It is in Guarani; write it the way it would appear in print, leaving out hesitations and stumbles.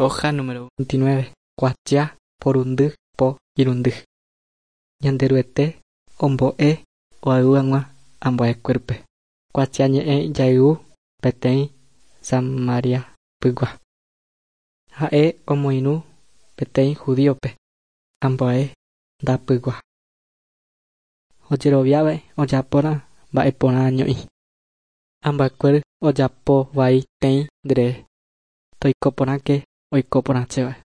Hoja número 29, kuatia porundy po irundy. Ñanderuete ombo'e oayhu hag̃ua ambuekuérape. Kuatiañe'ẽ jayvu peteĩ Samariapygua. Ha'e omoirũ peteĩ judíope ambue ndapygua. Ojeroviave ojapórã mba'eporã año'i. Ambuekuéra ojapo vai tei nderehe. Toiko porãke oiko porãchéva.